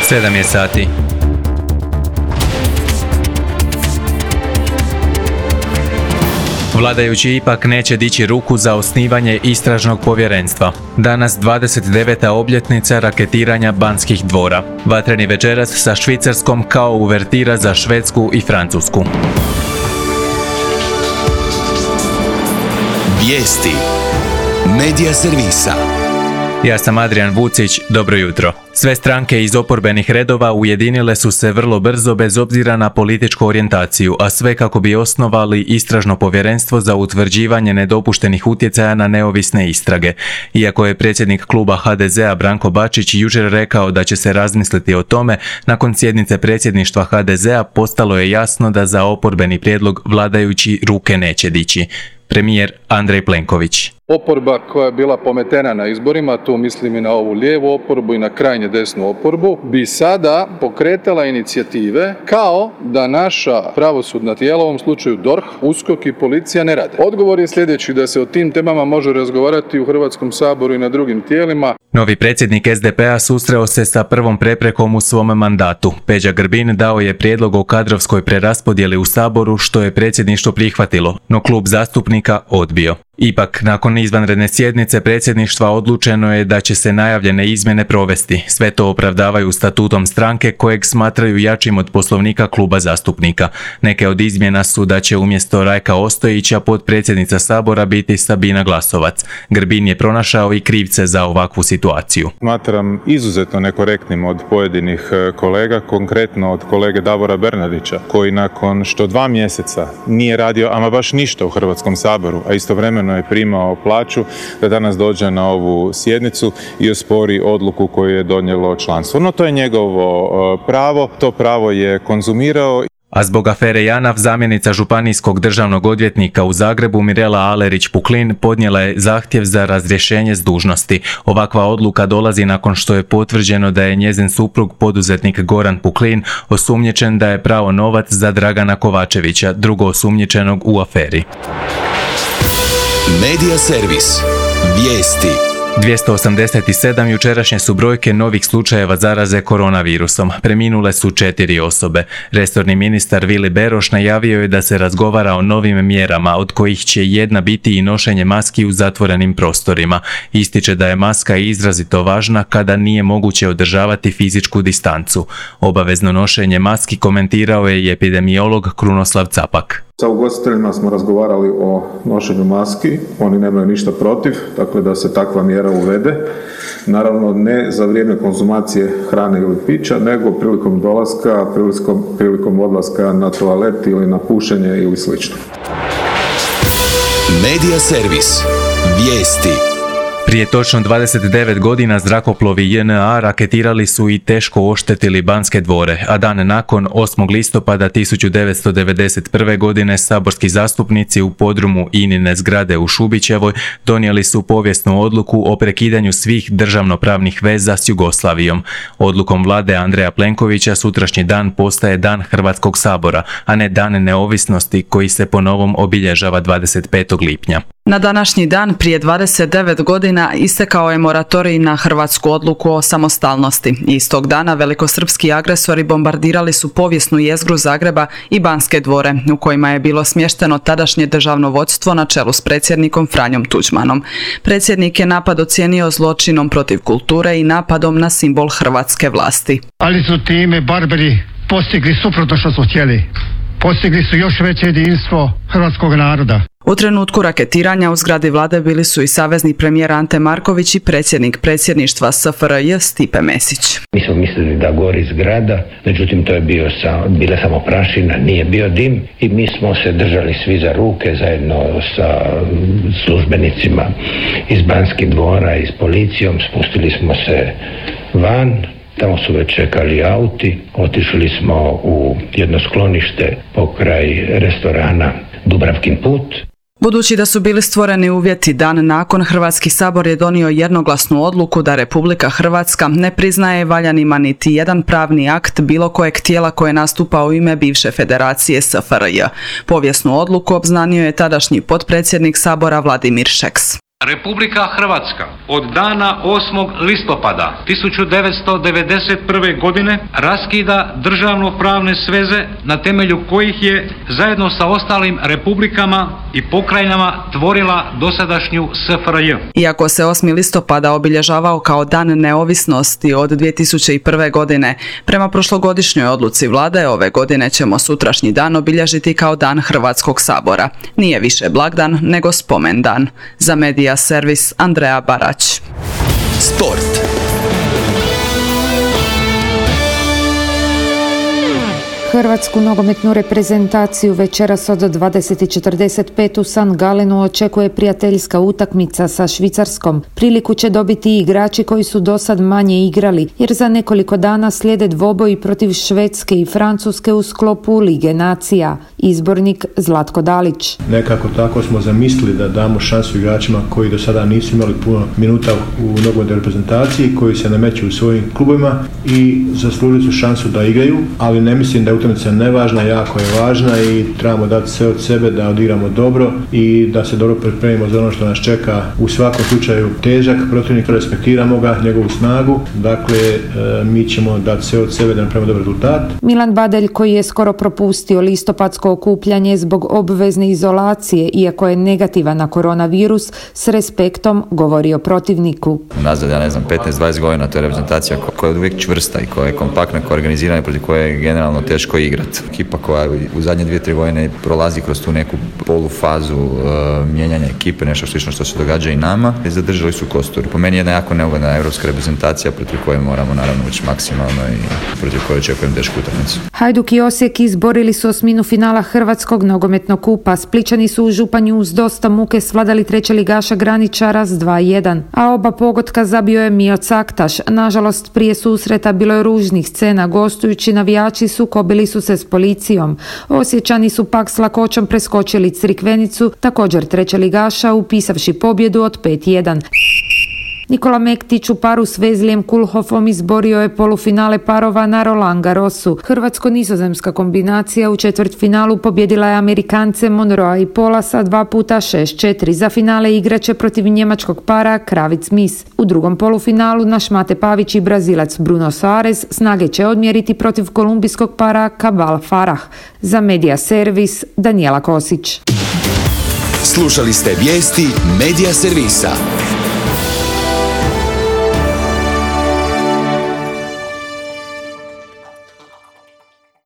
7 je sati. Vladajući ipak neće dići ruku za osnivanje istražnog povjerenstva. Danas 29. obljetnica raketiranja Banskih dvora. Vatreni večeras sa Švicarskom kao uvertira za Švedsku i Francusku. Vijesti Medija servisa. Ja sam Adrian Vucić, dobro jutro. Sve stranke iz oporbenih redova ujedinile su se vrlo brzo bez obzira na političku orijentaciju, a sve kako bi osnovali istražno povjerenstvo za utvrđivanje nedopuštenih utjecaja na neovisne istrage. Iako je predsjednik kluba HDZ-a Branko Bačić jučer rekao da će se razmisliti o tome, nakon sjednice predsjedništva HDZ-a postalo je jasno da za oporbeni prijedlog vladajući ruke neće dići. Premijer Andrej Plenković. Oporba koja je bila pometena na izborima, tu mislim i na ovu lijevu oporbu i na krajnje desnu oporbu, bi sada pokretala inicijative kao da naša pravosudna tijela, u ovom slučaju DORH, USKOK i policija ne rade. Odgovor je sljedeći, da se o tim temama može razgovarati u Hrvatskom saboru i na drugim tijelima. Novi predsjednik SDP-a susreo se sa prvom preprekom u svom mandatu. Peđa Grbin dao je prijedlog o kadrovskoj preraspodjeli u Saboru, što je predsjedništvo prihvatilo, no klub zastupnika odbio. Ipak, nakon izvanredne sjednice predsjedništva odlučeno je da će se najavljene izmjene provesti. Sve to opravdavaju statutom stranke kojeg smatraju jačim od poslovnika kluba zastupnika. Neke od izmjena su da će umjesto Rajka Ostojića potpredsjednica Sabora biti Sabina Glasovac. Grbin je pronašao i krivce za ovakvu situaciju. Smatram izuzetno nekorektnim od pojedinih kolega, konkretno od kolege Davora Bernardića, koji nakon što 2 mjeseca nije radio ama baš ništa u Hrvatskom saboru, a istovremeno je primao plaću, da danas dođe na ovu sjednicu i ospori odluku koju je donijelo članstvo. No to je njegovo pravo, to pravo je konzumirao. A zbog afere JANAF zamjenica županijskog državnog odvjetnika u Zagrebu Mirela Alerić-Puklin podnijela je zahtjev za razrješenje s dužnosti. Ovakva odluka dolazi nakon što je potvrđeno da je njezin suprug poduzetnik Goran Puklin osumnjičen da je prao novac za Dragana Kovačevića, drugo osumnjičenog u aferi. Medija servis. Vijesti. 287 jučerašnje su brojke novih slučajeva zaraze koronavirusom. Preminule su 4 osobe. Resorni ministar Vili Beroš najavio je da se razgovara o novim mjerama, od kojih će jedna biti i nošenje maski u zatvorenim prostorima. Ističe da je maska izrazito važna kada nije moguće održavati fizičku distancu. Obavezno nošenje maski komentirao je i epidemiolog Krunoslav Capak. Sa ugostiteljima smo razgovarali o nošenju maski, oni nemaju ništa protiv, dakle da se takva mjera uvede. Naravno ne za vrijeme konzumacije hrane ili pića, nego prilikom dolaska, prilikom odlaska na toalet ili na pušenje ili slično. Medija servis. Vijesti. Prije točno 29 godina zrakoplovi JNA raketirali su i teško oštetili Banske dvore, a dan nakon, 8. listopada 1991. godine, saborski zastupnici u podrumu INA-ine zgrade u Šubićevoj donijeli su povijesnu odluku o prekidanju svih državnopravnih veza s Jugoslavijom. Odlukom vlade Andreja Plenkovića sutrašnji dan postaje Dan Hrvatskog sabora, a ne Dan neovisnosti koji se po novom obilježava 25. lipnja. Na današnji dan prije 29 godina istekao je moratorij na hrvatsku odluku o samostalnosti. Istog dana velikosrpski agresori bombardirali su povijesnu jezgru Zagreba i Banske dvore, u kojima je bilo smješteno tadašnje državno vodstvo na čelu s predsjednikom Franjom Tuđmanom. Predsjednik je napad ocijenio zločinom protiv kulture i napadom na simbol hrvatske vlasti. Ali su time barbari postigli suprotno što su htjeli. Postigli su još veće jedinstvo hrvatskog naroda. U trenutku raketiranja u zgradi vlade bili su i savezni premijer Ante Marković i predsjednik predsjedništva SFRJ Stipe Mesić. Mi smo mislili da gori zgrada, međutim to je bila samo prašina, nije bio dim i mi smo se držali svi za ruke zajedno sa službenicima iz Banskih dvora i s policijom, spustili smo se van. Tamo su već čekali auti, otišli smo u jedno sklonište pokraj restorana Dubravkin put. Budući da su bili stvoreni uvjeti, dan nakon Hrvatski sabor je donio jednoglasnu odluku da Republika Hrvatska ne priznaje valjanima niti jedan pravni akt bilo kojeg tijela koje nastupa u ime bivše federacije SFRJ. Povijesnu odluku obznanio je tadašnji potpredsjednik sabora Vladimir Šeks. Republika Hrvatska od dana 8. listopada 1991. godine raskida državno-pravne sveze na temelju kojih je zajedno sa ostalim republikama i pokrajinama tvorila dosadašnju SFRJ. Iako se 8. listopada obilježavao kao Dan neovisnosti od 2001. godine, prema prošlogodišnjoj odluci vlade ove godine ćemo sutrašnji dan obilježiti kao Dan Hrvatskog sabora. Nije više blagdan nego spomendan. Za Medija servis Andreja Barać. Sport. Hrvatsku nogometnu reprezentaciju večeras od 20:45 u San Galenu očekuje prijateljska utakmica sa Švicarskom. Priliku će dobiti i igrači koji su dosad manje igrali, jer za nekoliko dana slijede dvoboji protiv Švedske i Francuske u sklopu Lige nacija. Izbornik Zlatko Dalić. Nekako tako smo zamislili da damo šansu igračima koji do sada nisu imali puno minuta u nogometnoj reprezentaciji, koji se nameću u svojim klubovima i zaslužili su šansu da igraju, ali ne mislim da utakmica nevažna, jako je važna i trebamo dati sve od sebe da odigramo dobro i da se dobro pripremimo za ono što nas čeka. U svakom slučaju težak protivnik, respektiramo ga, njegovu snagu, dakle mi ćemo dati sve od sebe da napravimo dobar rezultat. Milan Badelj, koji je skoro propustio listopadsko okupljanje zbog obvezne izolacije, iako je negativan na koronavirus, s respektom govori o protivniku. Nazad, 15-20 godina, to je reprezentacija koja je uvijek čvrsta i koja je kompaktna, koja je organizirana, protiv koje je generalno teško igrati. Ekipa koja u zadnje 2-3 godine prolazi kroz tu neku polufazu mijenjanja ekipe, nešto slično što se događa i nama, i zadržali su kostur. Po meni je jedna jako neugodna europska reprezentacija protiv koje moramo naravno ući maksimalno i protiv koje očekujem tešku utakmicu. Hajduk i Osijek izborili su osminu finala Hrvatskog nogometnog kupa. Splićani su u Županju uz dosta muke svladali trećeligaša Graničara s 2:1, a oba pogotka zabio je Mio Caktaš. Nažalost, prije susreta bilo je ružnih scena, gostujući navijači sukobili su se s policijom. Osječani su pak s lakoćom preskočili Crikvenicu, također trećeligaša, upisavši pobjedu od 5:1. Nikola Mektić u paru s Vezlijem Kulhofom izborio je polufinale parova na Roland Garrosu. Hrvatsko-nizozemska kombinacija u četvrtfinalu pobjedila je Amerikance Monroea i Polasa 2x6-4. Za finale igraće protiv njemačkog para Kravic-Mis. U drugom polufinalu naš Mate Pavić i Brazilac Bruno Soares snage će odmjeriti protiv kolumbijskog para Cabal Farah. Za Medija servis Danijela Kosić. Slušali ste vijesti Medija servisa.